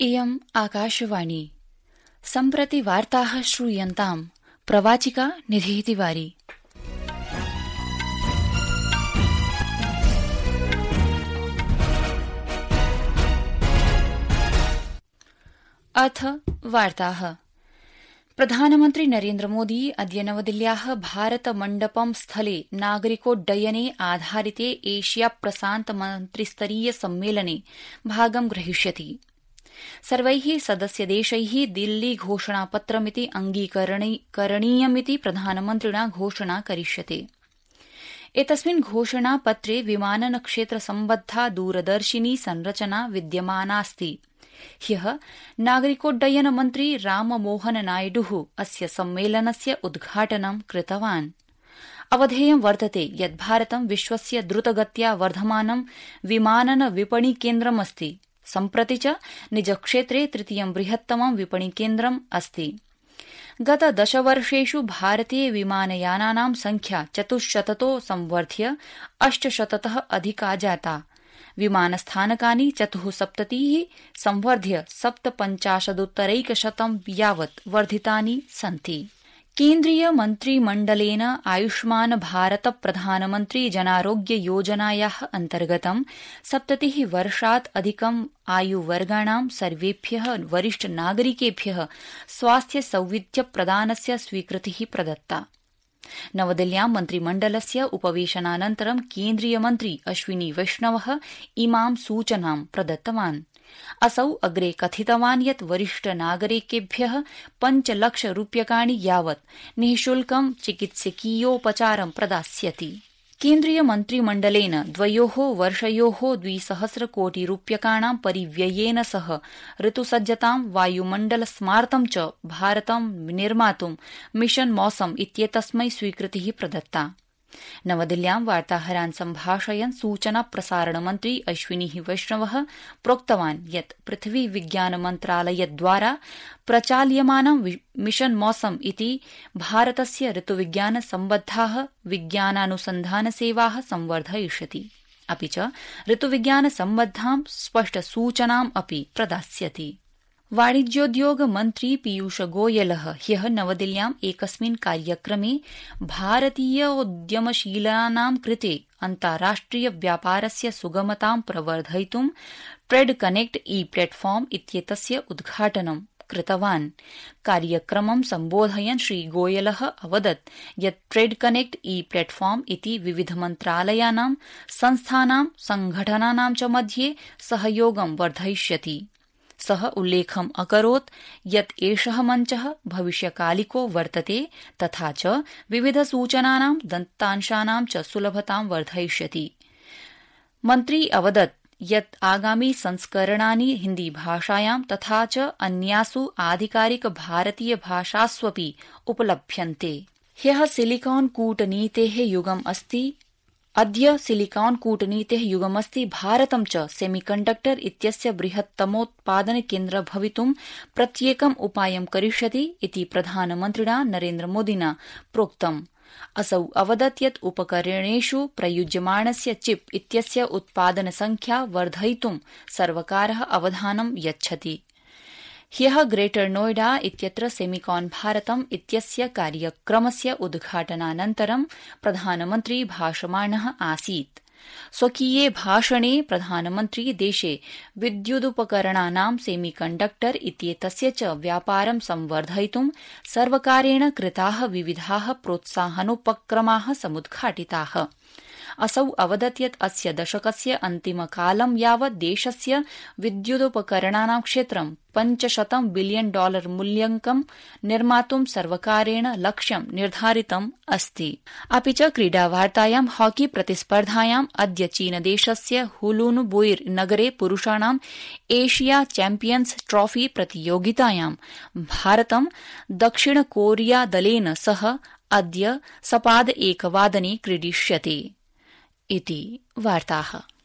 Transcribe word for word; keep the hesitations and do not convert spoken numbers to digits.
इयम् आकाशवाणी। सम्प्रति वार्ताः श्रूयन्ताम्। प्रवाचिका निधिः तिवारी। अथ वार्ताः। प्रधानमन्त्री नरेन्द्रमोदी अद्य नवदिल्ल्याः भारत मण्डपम् स्थले नागरिकोड्डयने आधारिते एशिया प्रशान्त मन्त्रिस्तरीय सम्मेलने भागं ग्रहीष्यति। सर्वैः सदस्यदेशैः दिल्ली घोषणापत्रमिति अङ्गीकरणीयमिति प्रधानमन्त्रिणा घोषणा करिष्यते। एतस्मिन् घोषणापत्रे विमानन क्षेत्र सम्बद्धा दूरदर्शिनी संरचना विद्यमानास्ति। ह्यः नागरिकोड्डयन मन्त्री राममोहन नायडुः अस्य सम्मेलनस्य उद्घाटनं कृतवान्। अवधेयं वर्तते यत् भारतं विश्वस्य द्रुतगत्या वर्धमानं विमानन विपणि केन्द्रमस्ति। सम्प्रति च निजक्षेत्रे तृतीयं बृहत्तमं विपणिकेन्द्रम् अस्ति। गत दशवर्षेषु भारतीय विमानयानानां संख्या चतुश्शततो संवर्ध्य अष्टशततः अधिका जाता। विमानस्थानकानि चतुःसप्ततिः संवर्ध्य सप्तपञ्चाशदुत्तरैकशतं यावत् वर्धितानि सन्ति। केन्द्रीय मन्त्रिमण्डलेन आयुष्मान भारत प्रधानमन्त्री जनारोग्य योजनायाः अन्तर्गतं सप्ततिः वर्षात् अधिकम् आयुवर्गाणां सर्वेभ्यः वरिष्ठ नागरिकेभ्यः स्वास्थ्य सौविध्य प्रदानस्य स्वीकृतिः प्रदत्ता। नवदिल्ल्यां मन्त्रिमण्डलस्य उपवेशनानन्तरं केन्द्रीय मन्त्री अश्विनी वैष्णवः इमां सूचनां प्रदत्तवान्। असौ अग्रे कथितवान् यत् वरिष्ठ नागरिकेभ्यः पञ्चलक्ष रूप्यकाणि यावत् निःशुल्कं चिकित्सकीयोपचारं प्रदास्यति। केन्द्रीय मन्त्रिमण्डलेन द्वयोः वर्षयोः द्विसहस्रकोटि रूप्यकाणां परिव्ययेन सह ऋतुसज्जतां वायुमण्डल स्मार्तं च भारतं निर्मातुं मिशन मौसम इत्येतस्मै स्वीकृतिः प्रदत्ता। नवदिल्ल्यां वार्ताहरान् सम्भाषयन् सूचना प्रसारणमन्त्री अश्विनी वैष्णवः प्रोक्तवान् यत् पृथ्वी विज्ञान मन्त्रालयद्वारा प्रचाल्यमानं मिशन मौसम इति भारतस्य ऋतुविज्ञान सम्बद्धाः विज्ञानानुसन्धानसेवाः संवर्धयिष्यति, अपि च ऋतुविज्ञान सम्बद्धां स्पष्टसूचनाम् अपि प्रदास्यति। वाणिज्योद्योग मन्त्री पीयूष गोयलः ह्यः नवदिल्ल्याम् एकस्मिन् कार्यक्रमे भारतीयोद्यमशीलानां कृते अन्ताराष्ट्रिय व्यापारस्य सुगमतां प्रवर्धयितुं ट्रेड कनेक्ट ई प्लेटफॉर्म इत्येतस्य उद्घाटनं कृतवान्। कार्यक्रमं सम्बोधयन् श्रीगोयलः अवदत् यत् ट्रेड कनेक्ट ई प्लेटफॉर्म इति विविध मन्त्रालयानां संस्थानां संघटनानां च मध्ये सहयोगं वर्धयिष्यति। सः उल्लेखम् अकरोत् यत् एषः मञ्चः भविष्यकालिको वर्तते तथा च विविध सूचनानां दत्तांशानां च सुलभतां वर्धयिष्यति। मन्त्री अवदत् यत् आगामि संस्करणानि हिन्दीभाषायां तथा च अन्यासु आधिकारिक भारतीय भाषास्वपि उपलभ्यन्ते। ह्यः सिलिकॉन कूटनीतेः युगम् अस्ति। अद्य सिलिकॉन कूटनीतेः युगमस्ति। भारतं च सेमीकण्डक्टर इत्यस्य बृहत्तमोत्पादन केन्द्र भवितुं प्रत्येकम् उपायं करिष्यति इति प्रधानमन्त्रिणा नरेन्द्रमोदिना प्रोक्तम्। असौ अवदत् यत् उपकरणेषु प्रयुज्यमाणस्य चिप इत्यस्य उत्पादन संख्या वर्धयितुं सर्वकारः अवधानं यच्छति। ह्यः ग्रेटर नोएडा इत्यत्र सेमिकॉन भारतम् इत्यस्य कार्यक्रमस्य उद्घाटनानन्तरं प्रधानमन्त्री भाषमाणः आसीत्। स्वकीये भाषणे प्रधानमन्त्री देशे विद्युदुपकरणानां सेमीकण्डक्टर इत्येतस्य च व्यापारं संवर्धयितुं सर्वकारेण कृताः विविधाः प्रोत्साहनोपक्रमाः समुद्घाटिताः। असौ अवदत् यत् अस्य दशकस्य अन्तिमकालं यावत् देशस्य विद्युदुपकरणानां क्षेत्रं पञ्चशतं बिलियन डॉलर मूल्यकं निर्मातुं सर्वकारेण लक्ष्यं निर्धारितम् अस्ति। अपि च क्रीडावार्तायां हॉकी प्रतिस्पर्धायाम् अद्य चीनदेशस्य हुलून बुइर नगरे पुरुषाणां एशिया चैम्पियन्स ट्रॉफी प्रतियोगितायां भारतं दक्षिण कोरिया दलेन सह अद्य सपाद एकवादने क्रीडिष्यते। इति वार्ताः।